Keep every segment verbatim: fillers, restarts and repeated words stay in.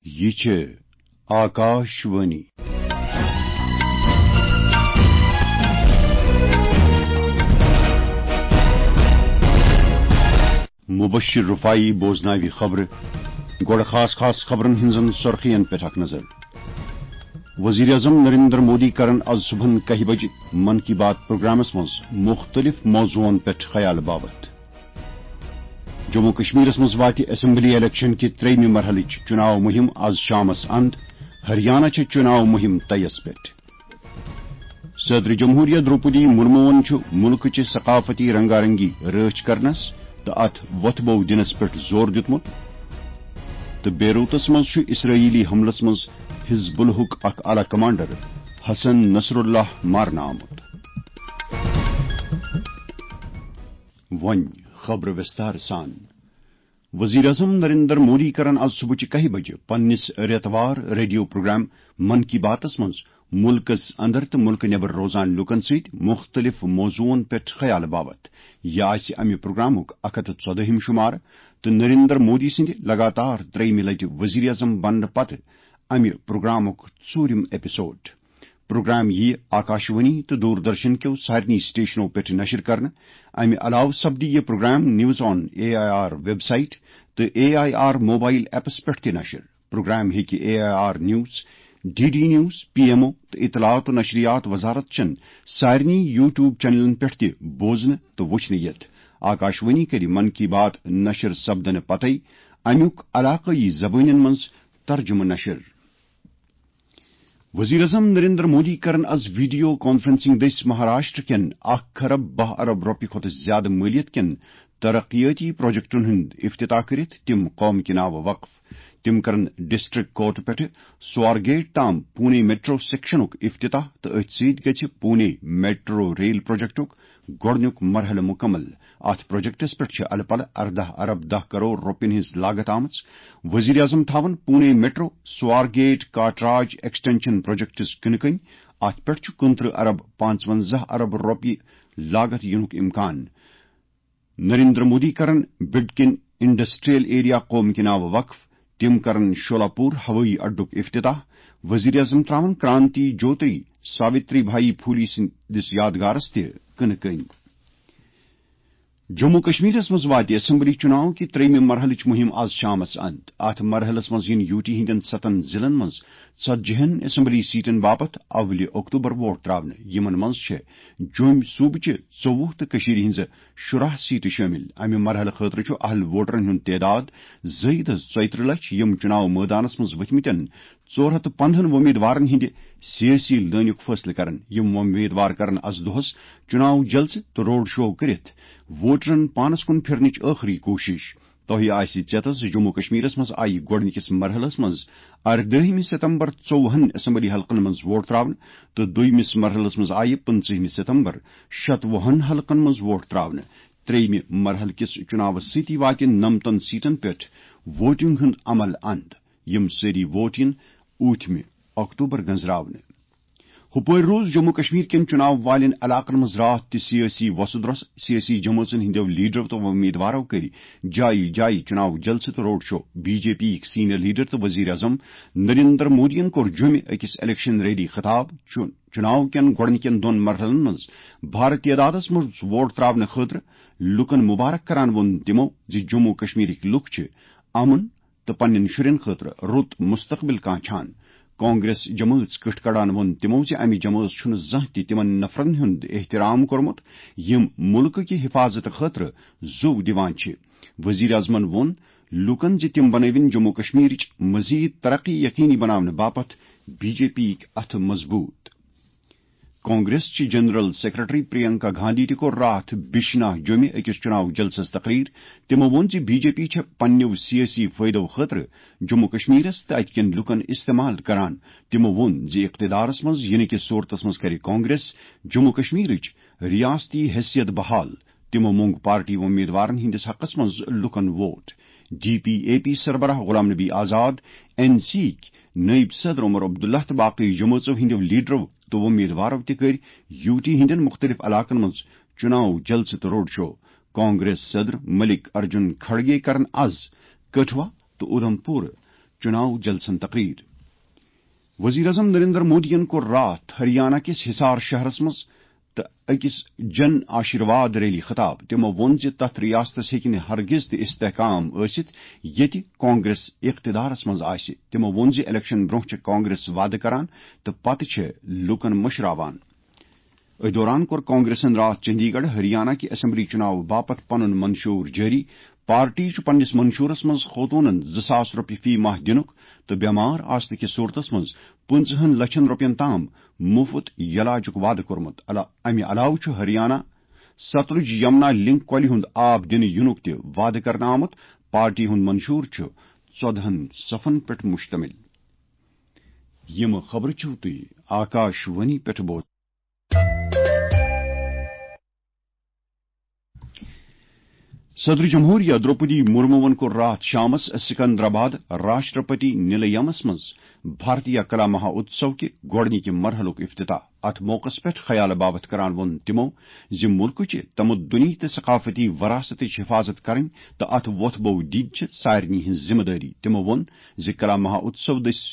یہِ چھِ آکاش وانی۔ مبشر رفاعی بوزناوِ خبرٕ۔ گۄڈٕ خاص خاص خبرن ہٕنٛزن سرخین پٮ۪ٹھ اکھ نظر۔ وزیر اعظم نریندر مودی کرن از صبحن کاہہِ بجہِ من کی بات پروگرامس منٛز مختلف موضوعن پٮ۪ٹھ خیال باوتھ۔ جموں کشمیرس منٛز واتہِ اسمبلی الیکشن کہِ ترٛیٚیمہِ مرحلٕچ چُناو مُہِم از شامس اند۔ ہریانہ چھِ چُناو مُہِم طیس پٮ۪ٹھ۔ صدر جمہوریہ دروپدی مرموہن چھُ مُلکٕچہِ ثقافتی رنگارنگی رٲچھ کرنس تہٕ اتھ وۄتھٕ بو دِنس پٮ۪ٹھ زور دیُتمُت۔ تہٕ بیروتس منٛز چھُ اسرائیلی حملس منٛز حزب اللہُک اکھ اعلی کمانڈر حسن نصر اللہ مارنہٕ آمُت۔ وۄنۍ خبرٕ وِستار سان۔ وزیر اعظم نریندر مودی کرن از صبحٕچہِ کاہہِ بجہِ پننِس رٮ۪توار ریڈیو پروگرام من کی باتس منٛز مُلکس اندر تہٕ مُلکہٕ نٮ۪بر روزان لوٗکن سۭتۍ مُختٔلِف موضوعن پٮ۪ٹھ خیال باوتھ۔ یہِ آسہِ امہِ پروگرامُک اکھ ہتھ تہٕ ژۄدٲہِم شُمارٕ تہٕ نریندر مودی سٕنٛدِ لگاتار ترٛیٚیِمہِ لٹہِ وزیر اعظم بننہٕ پتہٕ امہِ پروگرامُک ژوٗرِم ایپیسوڈ۔ پروگرام یِیہِ آکاشوانی تہٕ دوردرشن کیو سارنٕے سٹیشنو پٮ۪ٹھ نشر کرنہٕ۔ امہِ علاوٕ سپدِ یہِ programme news on A I R website تہٕ A I R mobile apps پٮ۪ٹھ تہِ نشر۔ پروگرام ہیٚکہِ A I R news, D D news, P M O تہٕ اطلاعات و نشریات وزارت چٮ۪ن سارنٕے یوٹیوب چینلن پٮ۪ٹھ تہِ بوزنہٕ تہٕ وٕچھنہٕ یِتھ۔ آکاشوانی کرِ من کی بات نشر سپدنہٕ پتے امیُک علاقٲیی زبٲنٮ۪ن منٛز ترجمہٕ نشر۔ وزیر اعظم نریندر مودی کرن از ویڈیو کانفرنسنگ دٔسۍ مہاراشٹر کٮ۪ن اکھ کھرب باہ ارب رۄپیہِ کھۄتہٕ زیادٕ مٲلیت کٮ۪ن ترقیٲتی پروجیکٹن ہُنٛد افتتاح کٔرِتھ تِم قوم کہِ ناوٕ وقف۔ تِم کرن ڈسٹرکٹ کورٹ پٮ۪ٹھٕ سوارگیٹ تام پونے میٹرو سیکشنُک افتتاح تہٕ أتھۍ سۭتۍ گژھِ پونے میٹرو ریل پروجیکٹُک گۄڈٕنیُک مرحلہٕ مُکمل۔ اتھ پروجیکٹس پٮ۪ٹھ چھِ الہٕ پلہٕ ارداہ ارب دَہ کرور رۄپین ہٕنٛز لاگت آمٕژ۔ وزیر اعظم تھاون پونے میٹرو سوارگیٹ کاٹراج ایکسٹینشن پروجیکٹس کٕنہٕ کٔنۍ۔ اتھ پٮ۪ٹھ چھُ کُنترٕہ ارب پانٛژونزاہ ارب رۄپیہِ لاگت یِنُک امکان۔ نریندر مودی کرن بڈکن انڈسٹریل ایریا قوم کہِ ناوٕ وقف۔ تِم کرن شولاپور ہوٲیی اڈُک افتتاح۔ وزیر اعظم تراون کرانتی جوتری ساوتری بھائی پھولی سٕنٛدِس یادگارس تہِ کٕنہٕ کٔنۍ۔ جموں کشمیرس منٛز واتہِ اسمبلی چُناو کہِ ترٛیٚیمہِ مرحلٕچ مُہِم از شامس اند۔ اتھ مرحلس منٛز یِن یوٗ ٹی ہٕنٛدٮ۪ن ستن ضلعن منٛز ژتجی ہن اسمبلی سیٹن باپتھ اولہِ اکتوبر ووٹ تراونہٕ۔ یِمن منٛز چھِ جوٚمۍ صوٗبہٕ چہِ ژوٚوُہ تہٕ کٔشیٖرِ ہٕنٛزٕ شُراہ سیٹہٕ شٲمِل۔ امہِ مرحلہٕ خٲطرٕ چھُ اہل ووٹرن ہُنٛد تعداد زٲیدٕ ژۄیہِ ترٕہ لچھ، یِم چُناو مٲدانس منٛز ؤتھمٕتٮ۪ن ژور ہتھ تہٕ پندہن وۄمیدوارن ہٕنٛدِ سیٲسی لٲنُک فٲصلہٕ کرن۔ یِم وۄمیدوار کرن از دۄہس چُناو جلسہٕ تہٕ روڈ شو کٔرِتھ ووٹرن پانس کُن پھِرنٕچ ٲخری کوٗشش۔ تۄہہِ آسہِ ژیتس زِ جموں کشمیرس منٛز آیہِ گۄڈٕنِکِس مرحلس منٛز اردٲہمہِ ستمبر ژوٚوُہن اسمبلی حلقن منٛز ووٹ تراونہٕ تہٕ دوٚیمِس مرحلس منٛز آیہِ پٕنٛژٕہمہِ ستمبر شتوُہن حلقن منٛز ووٹ تراونہٕ۔ ترٛیٚیمہِ مرحلہٕ کِس چُناوس سۭتی واتہِ نمتن سیٹن پٮ۪ٹھ ووٹنگ ہُنٛد عمل اند، یِم سٲری ووٹ یِن ٲٹھمہِ اکتوبر گنزراونہٕ۔ ہُپٲرۍ روٗز جموں کشمیر کٮ۪ن چُناو والٮ۪ن علاقن منٛز راتھ تہِ سیٲسی وۄسہٕ درۄسہٕ۔ سیٲسی جمٲژن ہٕنٛدیو لیڈرو تہٕ وۄمیدوارو کٔرۍ جایہِ جایہِ چُناو جلسہٕ تہٕ road show. B J P یِکۍ سینئر لیڈر تہٕ وزیر اعظم نریندر مودیَن کوٚر جوٚمہِ أکِس الیکشن ریلی خطاب۔ چُ-، چُناو کٮ۪ن گۄڈٕنِکٮ۪ن دۄن مرحلن منٛز بھارٕ تعدادس منٛز ووٹ تراونہٕ خٲطرٕ لوٗکن مبارک کران ووٚن تِمو زِ جموں کشمیرٕکۍ لوٗکھ چھِ امن تہٕ پننٮ۪ن شُرٮ۪ن خٲطرٕ رُت مستقبل کانٛچھان۔ کانگریس جمٲژ کٕٹھ کڑان ووٚن تِمو زِ امہِ جمٲژ چھُنہٕ زانٛہہ تہِ تِمن نفرن ہُنٛد احترام کوٚرمُت، یِم مُلکہٕ کہِ حفاظتہٕ خٲطرٕ زُو دِوان چھِ۔ وزیر اعظمن ووٚن لوٗکن زِ تِم بنٲوِن جموں کشمیرٕچ مزید ترقی یقینی بناونہٕ باپتھ بی جے پی یِکۍ اَتھٕ مضبوٗط۔ کانگریس چہِ جنرل سیکرٹری پرینکا گاندھی تہِ کوٚر راتھ بشناہ جوٚمہِ أکِس چُناو جلسس تقریر۔ تِمو ووٚن زِ بی جے پی چھےٚ پننیو سیٲسی فٲیدو خٲطرٕ جموں کشمیرس تہٕ اتہِ کٮ۪ن لوٗکن استعمال کران۔ تِمو ووٚن زِ اقتدارس منٛز یِنہٕ کِس صورتس منٛز کرِ کانگریس جموں کشمیرٕچ ریاستی حیثیت بحال۔ تِمو مۄنگ پارٹی وۄمیدوارن ہٕنٛدِس حقس منٛز لوٗکن vote. D P A P سربراہ غلام نبی آزاد، این سی یِکۍ نٲیِب صدر عمر عبداللہ تہٕ باقٕے جمٲژو ہٕنٛدیو لیڈرو تہٕ وۄمیدوارو تہِ کٔرۍ یوٗ ٹی ہٕنٛدٮ۪ن مُختٔلِف علاقن منٛز چُناو جلسہٕ تہٕ روڈ شو۔ کانگریس صدر ملک ارجن کھڑگے کرن از کٹھوا تہٕ اُدھمپور چناو جلسن تقریر۔ وزیر اعظم نریندر مودیَن کوٚر راتھ ہریانہ کِس حصار شہرس منٛز تہٕ أکِس جن آشیرواد ریلی خطاب۔ تِمو ووٚن زِ تتھ ریاستس ہیٚکہِ نہٕ ہرگز تہِ استحکام ٲسِتھ، ییٚتہِ کانگریس اقتدارس منٛز آسہِ۔ تِمو ووٚن زِ الیکشن برونٛہہ چھِ کانگریس وعدٕ کران تہٕ پتہٕ چھِ لوٗکن مٔشراوان۔ أتھۍ دوران کوٚر کانگریسن راتھ چندی گڑھ ہریانہ کہِ اسمبلی چُناو باپتھ پنُن منشور جٲری۔ پارٹی چھُ پننِس منشورس منٛز خوتوٗنن زٕ ساس رۄپیہِ فی ماہ دِنُک تہٕ بٮ۪مار آسنہٕ کِس صورتس منٛز پٕنٛژٕہن لچھن رۄپین تام مُفت یلاجُک وعدٕ کوٚرمُت۔ علا-، امہِ علاوٕ چھُ ہریانہ ستلج یمنا لنک کۄلہِ ہُنٛد آب دِنہٕ یِنُک تہِ وعدٕ کرنہٕ آمُت۔ پارٹی ہُنٛد منشور چھُ ژۄدہن صفن پٮ۪ٹھ مشتمل۔ یِم خبرٕ چھِو تُہۍ آکاش وانی پٮ۪ٹھ بوزان۔ صدر جمہوریہ دروپدی مرموَن کوٚر راتھ شامس سکندرآباد راشٹرپتی نِلیَمس منٛز بھارتیہ کلا مہا اتسو کہِ گۄڈٕنِکہِ مرحلُک افتتاح۔ اتھ موقعس پٮ۪ٹھ خیال باوتھ کران ووٚن تِمو زِ مُلکٕچہِ تمدنی تہٕ ثقافتی وراثتٕچ حفاظت کرٕنۍ تہٕ اتھ وۄتھ بو دِنۍ چھِ سارنٕے ہٕنٛز ذمہٕ دٲری۔ تِمو ووٚن زِ کلا مہا اتسو دٔسۍ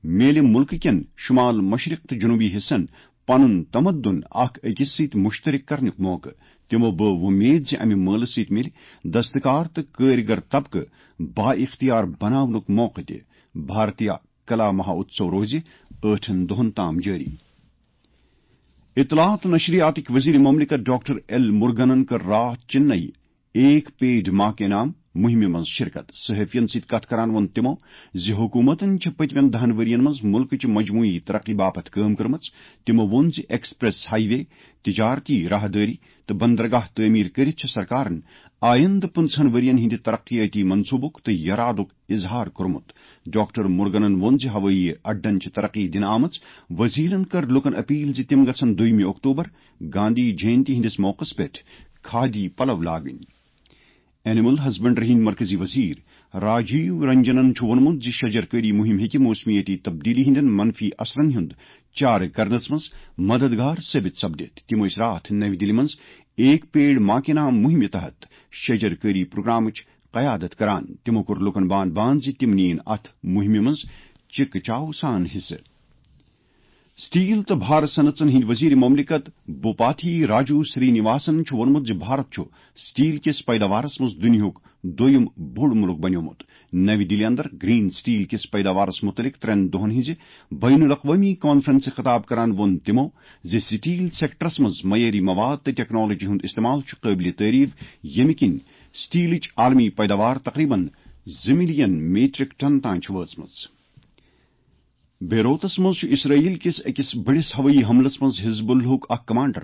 میلہِ مُلکہٕ کٮ۪ن شمال مشرق تہٕ جنوبی حصن پنُن تمدن اکھ أکِس سۭتۍ مشترک کرنُک موقعہٕ۔ تِمو بٲو وۄمید زِ امہِ مٲلہٕ سۭتۍ مِلہِ دستکار تہٕ کٲرۍگر طبقہٕ با اختیار بناونُک موقعہٕ تہِ۔ بھارتیہ کلا مہا اتسو روزِ ٲٹھن دۄہن تام جٲری۔ اطلاعات و نشریاتٕکۍ وزیر مملکت ڈاکٹر ایل مرگنن کٔر راتھ چنئی ایک پیڑ ماں کے نام مہمہِ منٛز شرکت۔ صحافین سۭتۍ کتھ کران ووٚن تِمو زِ حکوٗمتن چھِ پٔتمٮ۪ن دَہَن ؤرین منٛز مُلکٕچہِ مجموعی ترقی باپتھ کٲم کٔرمٕژ۔ تِمو ووٚن زِ ایکسپریس ہائی وے، تجارتی راہدٲری تہٕ بندرگاہ تعمیٖر کٔرِتھ چھِ سرکارن آیندٕ پٕنٛژٕہَن ؤرین ہٕنٛدِ ترقیٲتی منصوٗبُک تہٕ یرادُک اظہار کوٚرمُت۔ ڈاکٹر مرگنن ووٚن زِ ہوٲیی اڈن چھِ ترقی دِنہٕ آمٕژ۔ وزیرن کٔر لوٗکن اپیل زِ تِم گژھن دوٚیمہِ اکتوبر گاندھی جینتی ہٕنٛدِس موقعس پٮ۪ٹھ کھادی پلو لاگٕنۍ۔ اینیمل ہسبنڈری ہٕنٛدۍ مرکزی وزیر راجیو رنجنن چھُ ووٚنمُت زِ شجر کٲری مُہِم ہیٚکہِ موسمیٲتی تبدیلی ہٕنٛدٮ۪ن منفی اثرن ہُنٛد چارٕ کرنس منٛز مددگار ثٲبت سپدِتھ۔ تِم ٲسۍ راتھ نَوِ دِلہِ منٛز ایک پیڑ ماں کے نام مُہِمہِ تحت شجر کٲری پروگرامٕچ قیادت کران۔ تِمو کوٚر لوٗکن بان بان زِ تِم نِیِن اتھ مُہِمہِ منٛز چِکہٕ چاو سان حصہٕ۔ سٹیل تہٕ بھارٕ صنعژن ہٕنٛدۍ وزیر مملکت بوپاتھی راجو سری نواسن چھُ ووٚنمُت زِ بھارت چھُ سٹیل کِس پیداوارس منٛز دُنیاہُک دوٚیُم بوٚڑ مُلک بنیومُت۔ نَوِ دِلہِ اندر گرین سٹیل کِس پیداوارس مُتعلق ترٛٮ۪ن دۄہن ہٕنٛزِ بین الاقوٲمی کانفرنسہِ خطاب کران ووٚن تِمو زِ سٹیل سیکٹرس منٛز معیٲری مواد تہٕ ٹیکنالوجی ہُنٛد استعمال چھُ قٲبلِ تعریف، ییٚمہِ کِنۍ سٹیلٕچ عالمی پیداوار تقریباً زٕ ملین میٹرک ٹن تام چھِ وٲژمٕژ۔ بیروتس منٛز چھُ اسرائیل کِس أکِس بٔڑِس ہوٲیی حملس منٛز حزب اللہُک اکھ کمانڈر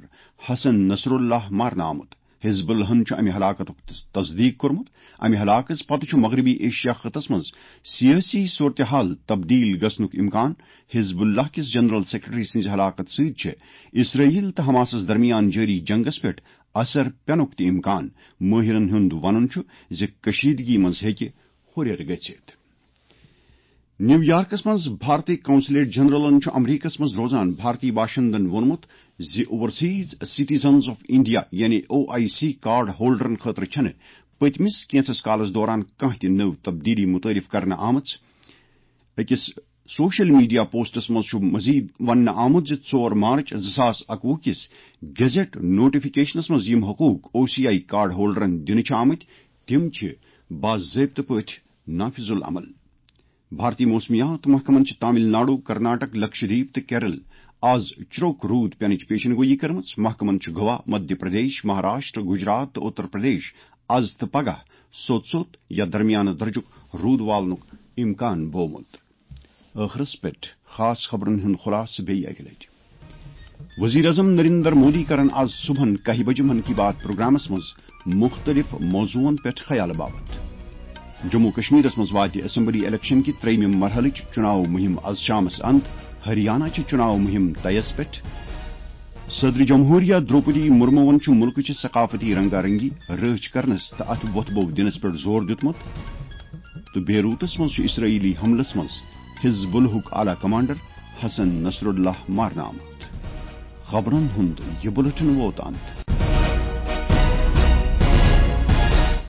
حسن نصر اللہ مارنہٕ آمُت۔ حزب اللہن چھُ امہِ ہلاکتُک تس-، تصدیق کوٚرمُت۔ امہِ ہلاکژ پتہٕ چھُ مغربی ایشیا خطس منٛز سیٲسی صورتحال تبدیل گژھنُک امکان۔ حزب اللہ کِس جنرل سیکرٹری سٕنٛزِ ہلاکت سۭتۍ چھِ اسرائیل تہٕ حماسس درمیان جٲری جنگس پٮ۪ٹھ اثر پینُک تہِ امکان۔ مٲہرن ہُنٛد ونُن چھُ زِ کشیدگی منٛز ہیٚکہِ ہُرٮ۪ر گٔژھِتھ۔ نیویارکس منٛز بھارتی قونصلیٹ جنرلن چھُ امریکس منٛز روزان بھارتی باشندن ووٚنمُت زِ اوورسیز سٹیزنز آف انڈیا یعنی او آئی سی کارڈ ہولڈرن خٲطرٕ چھنہٕ پٔتمِس کینٛژس کالس دوران کانٛہہ تہِ نٔو تبدیلی متعارف کرنہٕ آمٕژ۔ أکِس سوشل میڈیا پوسٹس منٛز چھُ مزید وننہٕ آمُت زِ ژور مارچ زٕ ساس اَکوُہ کِس گیزٹ نوٹیفکیشنس منٛز یِم حقوق او سی آئی کارڈ ہولڈرن دِنہٕ چھِ آمٕتۍ، تِم چھِ باضٲبطہٕ پٲٹھۍ نافذ العمل۔ بھارتی موسمیات محکمن چھِ تامل ناڈو، کرناٹک، لکشدیپ تہٕ کیرل آز چروک روٗد پینٕچ پیشن گویی کٔرمٕژ۔ محکمن چھُ گوا، مدھیہ پردیش، مہاراشٹر، گجرات تہٕ اتر پردیش آز تہٕ پگاہ سوٚت سوٚت یا درمیانہٕ درجُک روٗد والنُک امکان بوومُت۔ ٲخرس پٮ۪ٹھ خاص خبرن ہُنٛد خلاصہٕ بیٚیہِ اکہِ لٹہِ۔ وزیر اعظم نریندر مودی کرن آز صبحن کاہہِ بجہِ من کی بات پروگرامس منٛز مختلف موضوعن پٮ۪ٹھ خیال باوت۔ جموں کشمیرس منٛز واتہِ اسمبلی الیکشن کہِ ترٛیٚیمہِ مرحلٕچ چُناو مُہِم آز شامس اند۔ ہریانہ چہِ چُناو مُہِم طیس پٮ۪ٹھ۔ صدر جمہوریہ دروپدی مرموَن چھُ مُلکٕچہِ ثقافتی رنگا رنگی رٲچھ کرنس تہٕ اتھ وۄتھ بو دِنس پٮ۪ٹھ زور دیُتمُت۔ تہٕ بیروتس منٛز چھُ اسرائیلی حملس منٛز حزب اللہُک اعلیٰ کمانڈر حسن نصر اللہ مارنہٕ آمُت۔ خبرن ہُنٛد یہِ بُلٹن ووت اند۔